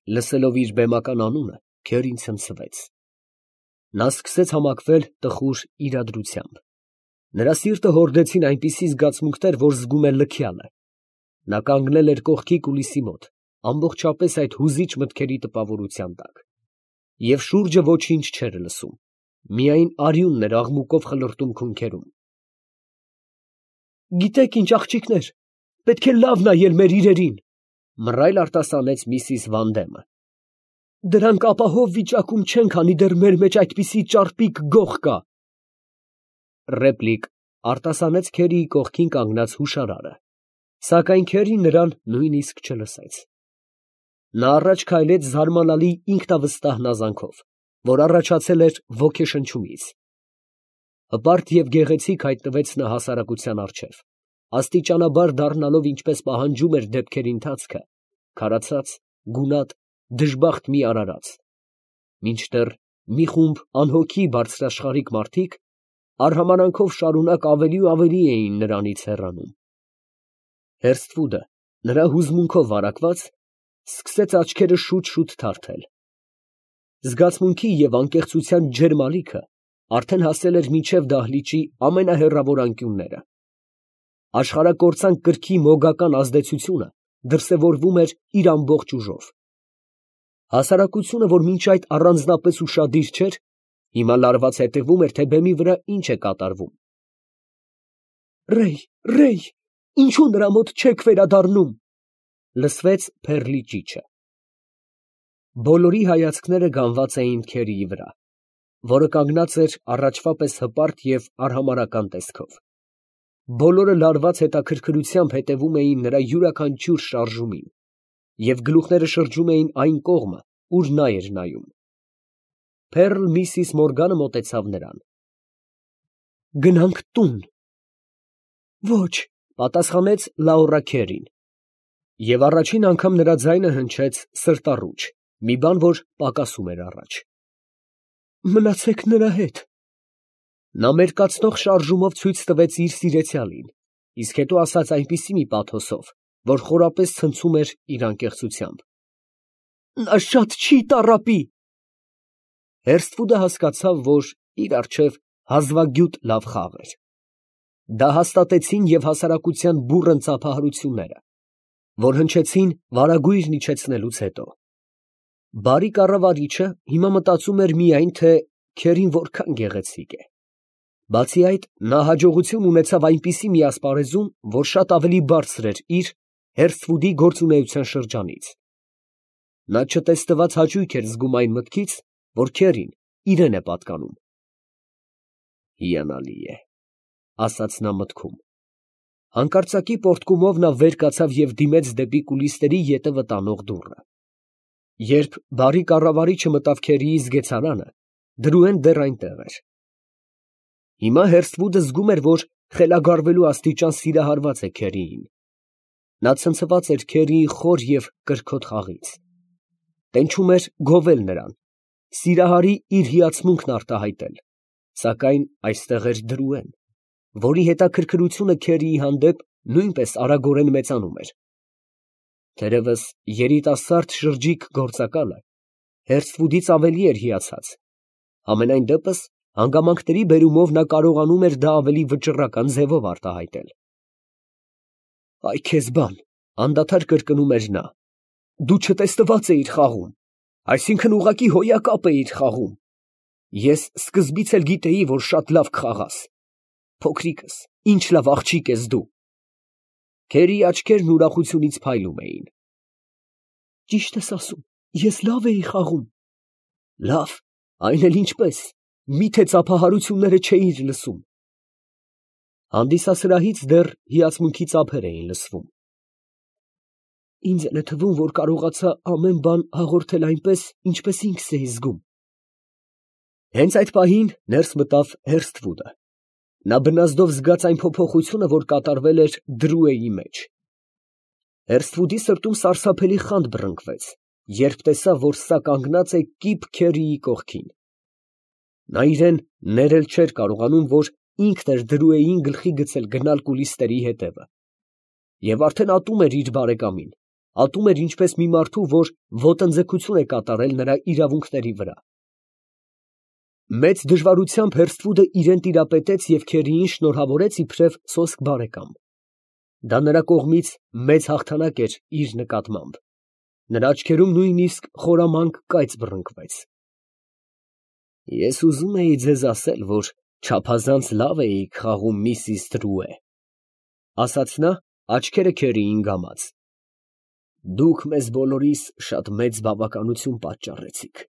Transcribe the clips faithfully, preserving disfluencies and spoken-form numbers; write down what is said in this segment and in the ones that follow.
Լսելով իր բեմական անունը, Քերին ցնցվեց։ Նա սկսեց համակվել տխուր իրադրությամբ։ Նրա սիրտը հորդեցին այնպիսի զգացմունքներ, որ զգում է լքյալը։ Նա կանգնել էր կողքի կուլիսի մոտ, ամբողջապես այդ հուզիչ մտքերի տպավորության տակ, և շուրջը ոչինչ չէր լսում, միայն արյունն էր աղմուկով խլրտում քունքերում։ «Գիտեք ինչ, աղջիկներ, պետք է լավ նայել մեր իրերին», ֊ մռայլ արտասանեց միսիս Վանդեմը։ «Դրանք ապահով վիճակում չեն, քանի դեռ մեր մեջ այդպիսի ճարպիկ գող կա»։ Ռեպլիկ, ֊ արտասանեց Քերիի կողքին կանգնած հուշարարը, սակայն Քերին նրան նույնիսկ չլսեց։ Նա առաջ քայլեց զարմանալի ինքնավստահ հնազանդքով, որ առաջացել էր ոգեշնչումից։ Հպարտ և գեղեցիկ հայտնվեց նա հասարակության առջև, աստիճանաբար դառնալով, ինչպես պահանջում էր դեպքերի ընթացքը, քարացած, գունատ, դժբախտ մի արարած, մինչդեռ մի խումբ անհոգի բարձրաշխարհիկ մարդիկ արհամարհանքով շարունակ ավելի ու ավելի էին նրանից հեռանում։ Հերսթվուդը, նրա հուզմունքով վարակված, սկսեց աչքերը շուտ֊շուտ թարթել։ Զգացմունքի և անկեղծության ջերմ ալիքը արդեն հասել էր մինչև դահլիճի ամենահեռավոր անկյունները։ Աշխարհակործան կրքի մոգական ազդեցությունը դրսևորվում էր իր ամբողջ ուժով։ Հասարակությունը, որ մինչ այդ առանձնապես ուշադիր չէր, հիմա լարված հետևում էր, թե բեմի վրա ինչ է կատարվում։ «Ռեյ, Ռեյ, ինչո՞ւ նրա մոտ չեք վերադառնում», ֊ լսվեց Փեռլի ճիչը։ Բոլորի հայացքները գանված էին Քերիի վրա, որը կանգնած էր առաջվա պես հպարտ և արհամարհական տեսքով։ Բոլորը լարված հետաքրքրությամբ հետևում էին նրա յուրաքանչյուր շարժումին և գլուխները շրջում էին այն կողմը, ուր նա էր նայում։ Փեռլ միսիս Մորգանը մոտեցավ նրան։ «Գնանք տուն»։ «Ոչ», ֊ պատասխանեց Լաուրա Քերին, և առաջին անգամ նրա ձայնը հնչեց սրտառուչ, մի բան, որ պակասում էր առաջ։ «Մնացեք նրա հետ»։ Նա մերկացնող շարժումով ցույց տվեց իր սիրեցյալին, իսկ հետո ասաց այնպիսի մի պաթոսով, որ խորապես ցնցում էր իր անկեղծությամբ. «Նա շատ չի տառապի»։ Հերսթվուդը հասկացավ, որ իր առջև հազվագյուտ լավ խաղ էր։ Դա հաստատեցին և հասարակության բուռն ծափահարությունները, որ հնչեցին վարագույրն իջեցնելուց հետո։ Բարի կառավարիչը հիմա մտածում էր միայն, թե Քերին որքան գեղեցիկ է։ Բացի այդ, նա հաջողություն ունեցավ այնպիսի մի ասպարեզում, որ շատ ավելի բարձր էր իր՝ Հերսթվուդի գործունեության շրջանից։ Նա չտեսնված հաճույք էր զգում այն մտքից, որ Քերին իրան է պատկանում։ «Հիանալի է», ֊ ասաց նա մտքում։ Հանկարծակի պոռթկումով նա վեր կացավ և դիմեց դեպի կուլիսների ետևը տանող դուռը։ Երբ բարի կառավարիչը մտավ Քերիի զգեցարանը, դրուեն դեռ այնտեղ էր։ Հիմա Հերսթվուդը զգում էր, որ խելագարվելու աստիճան սիրահարված է Քերիին։ Նա ցնցված էր Քերիի խոր և կրքոտ խաղից։ Տենչում էր գովել նրան, սիրահարի իր հիացմունքն արտահայտել, սակայն այստեղ էր դրուեն, որի հետաքրքրությունը Քերիի հանդեպ նույնպես արագորեն մեծանում էր։ Թերևս երիտասարդ շրջիկ գործակալը Հերսթվուդից ավելի էր հիացած, համենայն դեպս հանգամանքների բերումով նա կարողանում էր դա ավելի վճռական ձևով արտահայտել։ «Այ քեզ բան», ֊ անդադար կրկնում էր նա, ֊ «դու չտեսնված էիր խաղում, այսինքն ուղղակի հոյակապ էիր խաղում։ Ես սկզբից էլ գիտեի, որ շատ լավ կխաղաս։ Փոքրիկս, ինչ լավ աղջիկ ես դու»։ Քերիի աչքերն ուրախությունից փայլում էին։ «Ճիշտ ես ասում, ես լավ էի խաղում»։ «Լավ, այն էլ ինչպես, մի՞թե ծափահարությունները չէիր լսում»։ Հանդիսասրահից դեռ հիացմունքի ծափեր էին լսվում։ «Ինձ էլ է թվում, որ կարողացա ամեն բան հաղորդել այնպես, ինչպես ինքս էի զգում»։ Հենց այդ պահին ներս մտավ Հերսթվուդը։ Նա բնազդով զգաց այն փոփոխությունը, որ կատարվել էր Դրուեի մեջ։ Հերսթվուդի սրտում սարսափելի խանդ բռնկվեց, երբ տեսավ, որ սա կանգնած է կիպ Քերիի կողքին։ Նա իրան ներել չէր կարողանում, որ ինքն էր Դրուեին գլխի գցել գնալ կուլիսների ետևը, և արդեն ատում էր իր բարեկամին, ատում էր ինչպես մի մարդու, որ ոտնձգություն է կատարել նրա իրավունքների վրա։ Մեծ դժվարությամբ Հերսթվուդը իրան տիրապետեց և քերիին շնորհավորեց իբրև սոսկ բարեկամ։ Դա նրա կողմից մեծ հաղթանակ էր իր նկատմամբ։ Նրա աչքերում նույնիսկ խորամանկ կայծ բռնկվեց։ Ես ուզում էի ձեզ ասել, որ չափազանց լավ էիք խաղում միսիս Դրուե, ասաց նա, աչքերը քերիին գամած։ Դուք մեզ բոլորիս շատ մեծ բավականություն պատճառեցիք։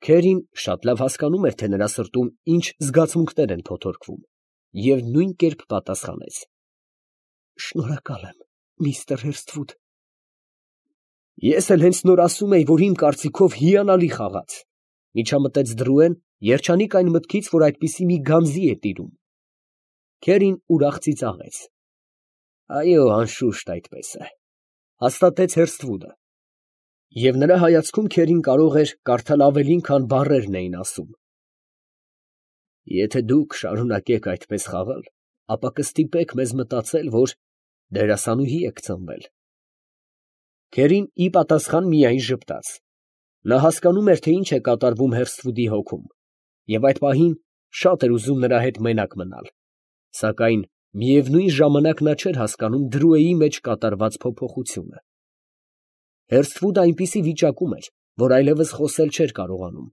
Քերին շատ լավ հասկանում էր, թե նրա սրտում ինչ զգացմունքներ են փոթորկվում, և նույն կերպ պատասխանեց. Շնորհակալ եմ, միստր Հերսթվուդ։ Ես էլ հենց նոր ասում էի, որ իմ կարծիքով հիանալի խաղաց, միջամտեց Դրուեն, երջանիկ այն մտքից, որ այդպիսի մի գանձի է տիրում։ Քերին ուրախ ծիծաղեց։ Այո, անշուշտ այդպես է, հաստատեց Հերսթվուդը։ Եվ նրա հայացքում քերին կարող էր կարդալ ավելին, քան բառերն էին ասում։ Եթե դուք շարունակեք այդպես խաղալ, ապա կստիպեք մեզ մտածել, որ դերասանուհի եք ծնվել։ Քերին ի պատասխան միայն ժպտաց։ Նա հասկանում էր, թե ինչ է կատարվում Հերսթվուդի հոգում, և այդ պահին շատ էր ուզում նրա հետ մենակ մնալ, սակայն միևնույն ժամանակ նա չէր հասկանում Դրուեի մեջ կատարված փոփոխությունը։ Հերսթվուդը այնպիսի վիճակում էր, որ այլևս խոսել չէր կարողանում։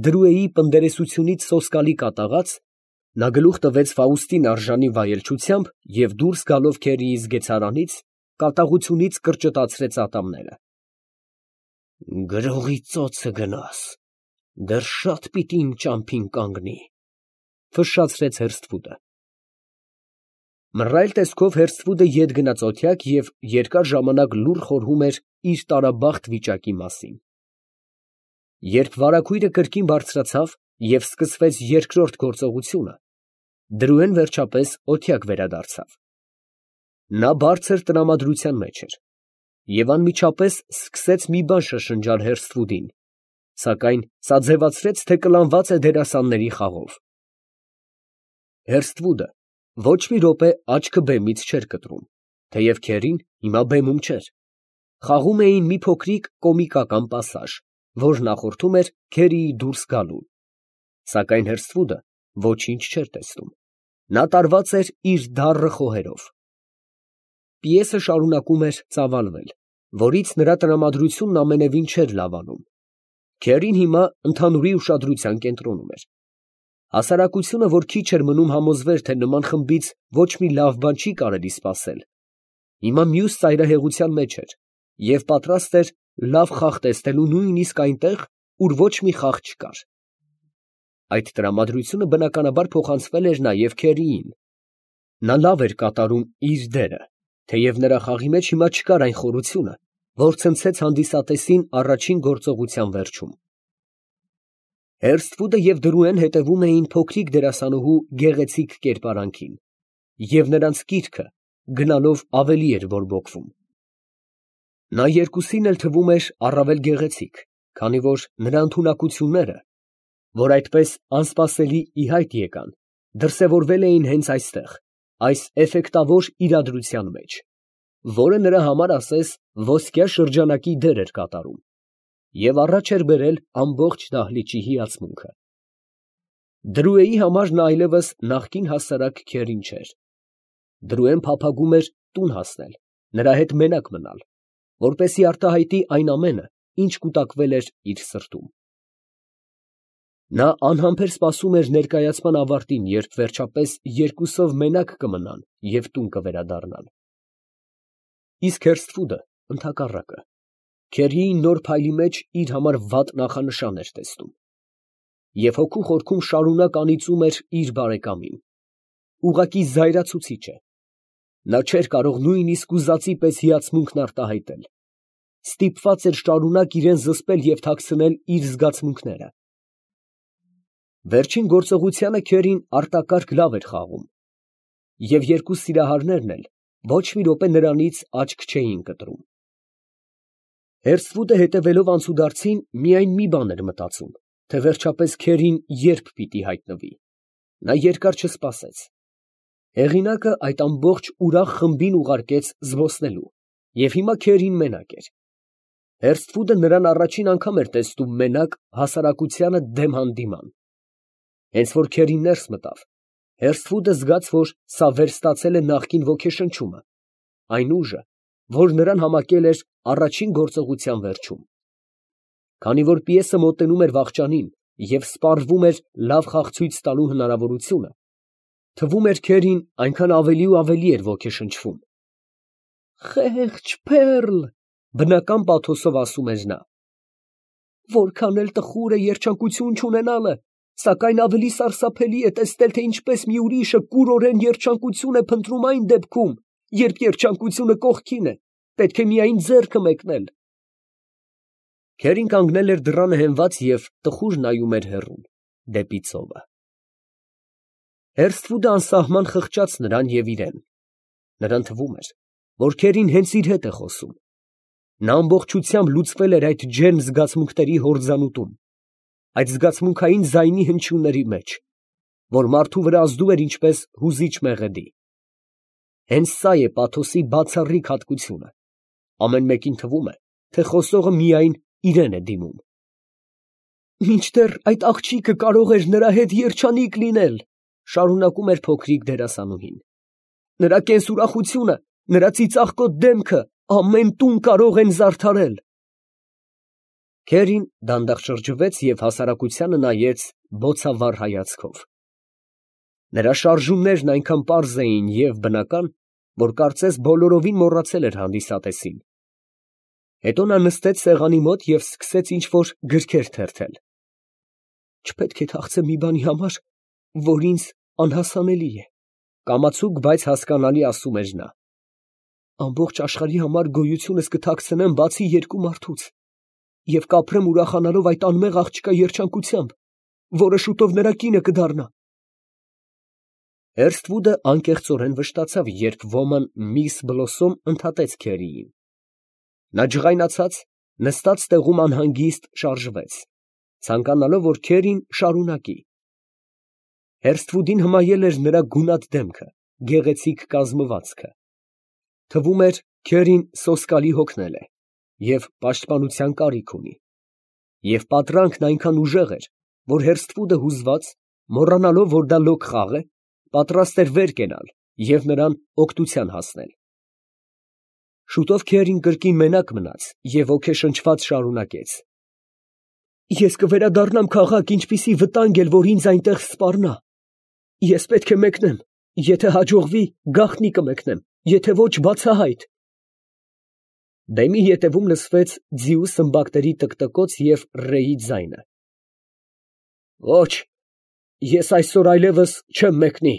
Դրուեի պնդերեսությունից սոսկալի կատաղած, նա գլուխ տվեց Ֆաուստին արժանի վայելչությամբ և դուրս գալով քերիի զգեցարանից, կատաղությունից կրճտացրեց ատամները։ Գրողի ծոցը գնաս, դեռ շատ պիտի իմ ճամփին կանգնի, ֆշշացրեց Հերսթվուդը։ Մռայլ տեսքով Հերսթվուդը ետ գնաց օթյակ և երկար ժամանակ լուռ խորհում էր իր տարաբախտ վիճակի մասին։ Երբ վարագույրը կրկին բարձրացավ և սկսվեց երկրորդ գործողությունը, Դրուեն վերջապես օթյակ վերադարձավ։ Նա բարձր տրամադրության մեջ էր և անմիջապես սկսեց մի բան շշնջալ Հերսթվուդին, սակայն սա ձևացրեց, թե կլանված է դերասանների խաղով։ Հերսթվուդը ոչ մի րոպե աչքը բեմից չէր կտրում, թեև քերին հիմա բեմում չէր։ Խաղում էին մի փոքրիկ կոմիկական պասաժ, որ նախորդում էր քերիի դուրս գալուն, սակայն Հերսթվուդը ոչինչ չէր տեսնում։ Նա տարված էր իր դառը խոհերով։ Պիեսը շարունակում էր ծավալվել, որից նրա տրամադրությունն ամենևին չէր լավանում։ Քերին հիմա ընդհանուրի ուշադրության կենտրոնում էր։ Հասարակությունը, որ քիչ էր մնում համոզվեր, թե նման խմբից ոչ մի լավ բան չի կարելի սպասել, հիմա մյուս ծայրահեղության մեջ էր և պատրաստ էր լավ խաղ տեսնելու նույնիսկ այնտեղ, ուր ոչ մի խաղ չկար։ Այդ տրամադրությունը բնականաբար փոխանցվել էր նաև քերիին։ Նա լավ էր կատարում իր դերը, թեև նրա խաղի մեջ հիմա չկար այն խորությունը, որ ցնցեց հանդիսատեսին առաջին գործողության վերջում։ Հերսթվուդը և Դրուեն հետևում էին փոքրիկ դերասանուհու գեղեցիկ կերպարանքին, և նրանց կիրքը գնալով ավելի էր բորբոքվում։ Նա երկուսին էլ թվում էր առավել գեղեցիկ, քանի որ նրա ընդունակությունները, որ այդպես անսպասելի ի հայտ եկան, դրսևորվել էին հենց այստեղ, այս էֆեկտավոր իրադրության մեջ, որը նրա համար ասես ոսկյա շրջանակի դեր էր կատարում, և առաջ էր բերել ամբողջ դահլիճի հիացմունքը։ Դրուեի համար նա այլևս նախկին հասարակ քերին չէր։ Դրուեն փափագում էր տուն հասնել, նրա հետ մենակ մնալ, որպեսզի արտահայտի այն ամենը, ինչ կուտակվել էր իր սրտում։ Նա անհամբեր սպասում էր ներկայացման ավարտին, երբ վերջապես երկուսով մենակ կմնան և տուն կվերադառնան։ Իսկ Հերսթվուդը ընդհակառակը, քերիի նոր փայլի մեջ իր համար վատ նախանշան էր տեսնում, և հոգու խորքում շարունակ անիծում էր իր բարեկամին։ Ուղղակի զայրացուցիչ է։ Նա չէր կարող նույնիսկ ուզածի պես հիացմունքն արտահայտել։ Ստիպված էր շարունակ իրան զսպել և թաքցնել իր զգացմունքները։ Վերջին գործողությանը քերին արտակարգ լավ էր խաղում, և երկու սիրահարներն էլ ոչ մի րոպե նրանից աչք չէին կտրում։ Հերսթվուդը հետևելով անցուդարձին միայն մի բան էր մտածում, թե վերջապես քերին ե՞րբ պիտի հայտնվի։ Նա երկար չսպասեց։ Հեղինակը այդ ամբողջ ուրախ խմբին ուղարկեց զբոսնելու, Եվ հիմա քերին մենակ էր։ Հերսթվուդը նրան առաջին անգամ էր տեսնում մենակ հասարակությանը դեմ հանդիման։ Հենց որ քերին ներս մտավ, Հերսթվուդը զգաց, որ սա վերստացել է նախկին ոգեշնչումը, այն ուժը, որ նրան համակել էր առաջին գործողության վերջում։ Քանի որ պիեսը մոտենում էր վախճանին և սպառվում էր լավ խաղ ցույց տալու հնարավորությունը, թվում էր քերին այնքան ավելի ու ավելի էր ոգեշնչվում։ «Խեղճ Փեռլ», բնական պաթոսով ասում էր նա, «որքան էլ տխուր է երջանկություն չունենալը, սակայն ավելի սարսափելի է տեսնել, թե ինչպես մի ուրիշը կուրորեն երջանկություն է փնտրում այն դեպքում, երբ երջանկությունը կողքին է, պետք է միայն ձեռքը մեկնել»։ Քերին կանգնել էր դռանը հենված և տխուր նայում էր հեռուն, դեպի ծովը։ Հերսթվուդը անսահման խղճաց նրան և իրեն. նրան թվում էր, որ քերին հենց իր հետ է խոսում։ Նա ամբողջությամբ լուծվել էր այդ ջերմ զգացմունքների հորձանուտում, այդ զգացմունքային ձայնի հնչյունների մեջ, որ մարդու վրա ազդու էր ինչպես հուզիչ մեղեդի։ Հենց սա է պաթոսի բացառիկ հատկությունը. ամեն մեկին թվում է, թե խոսողը միայն իրան է դիմում։ «Մինչդեռ այդ աղջիկը կարող էր նրա հետ երջանիկ լինել», շարունակում էր փոքրիկ դերասանուհին, «նրա կենսուրախությունը, նրա ծիծաղկոտ դեմքը ամեն տուն կարող են զարդարել»։ Քերին դանդաղ շրջվեց և հասարակությանը նայեց բոցավառ հայացքով։ Նրա շարժումներն այնքան պարզ էին և բնական, որ կարծես բոլորովին մոռացել էր հանդիսատեսին։ Հետո նա նստեց սեղանի մոտ և սկսեց ինչ֊որ գրքեր թերթել։ «Չպետք է թախծեմ մի բանի համար, որ ինձ անհասանելի է», կամացուկ, բայց հասկանալի ասում էր նա։ «Ամբողջ աշխարհի համար գոյությունս կթաքցնեմ բացի երկու մարդուց և կապրեմ ուրախանալով այդ անմեղ աղջկա երջանկությամբ, որը շուտով նրա կինը կդառնա»։ Հերսթվուդը անկեղծորեն վշտացավ, երբ ոման միս Բլոսոմ ընդհատեց քերիին։ Նա ջղայնացած, նստած տեղում անհանգիստ շարժվեց, ցանկանալով, որ քերին շարունակի։ Հերսթվուդին հմայել էր նրա գունատ դեմքը, գեղեցիկ կազմվածքը։ Թվում էր, քերին սոսկալի հոգնել է և պաշտպանության կարիք ունի։ Եվ պատրանքն այնքան ուժեղ էր, որ Հերսթվուդը հուզված, մոռանալով, որ դա լոկ խաղ է, պատրաստ էր վեր կենալ և նրան օգնության հասնել։ Շուտով քերին կրկին մենակ մնաց և ոգեշնչված շարունակեց. «Ես կվերադառնամ քաղաք, ինչպիսի վտանգ էլ որ ինձ այնտեղ սպառնա։ Ես պետք է մեկնեմ, եթե հաջողվի, գաղտնի կմեկնեմ, եթե ոչ, բացահայտ»։ Բեմի ետևում լսվեց ձիու սմբակների տկտկոց և ռեի ձայնը։ «Ոչ, ես այսօր այլևս չեմ մեկնի,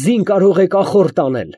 ձին կարող եք ախորտ անել»։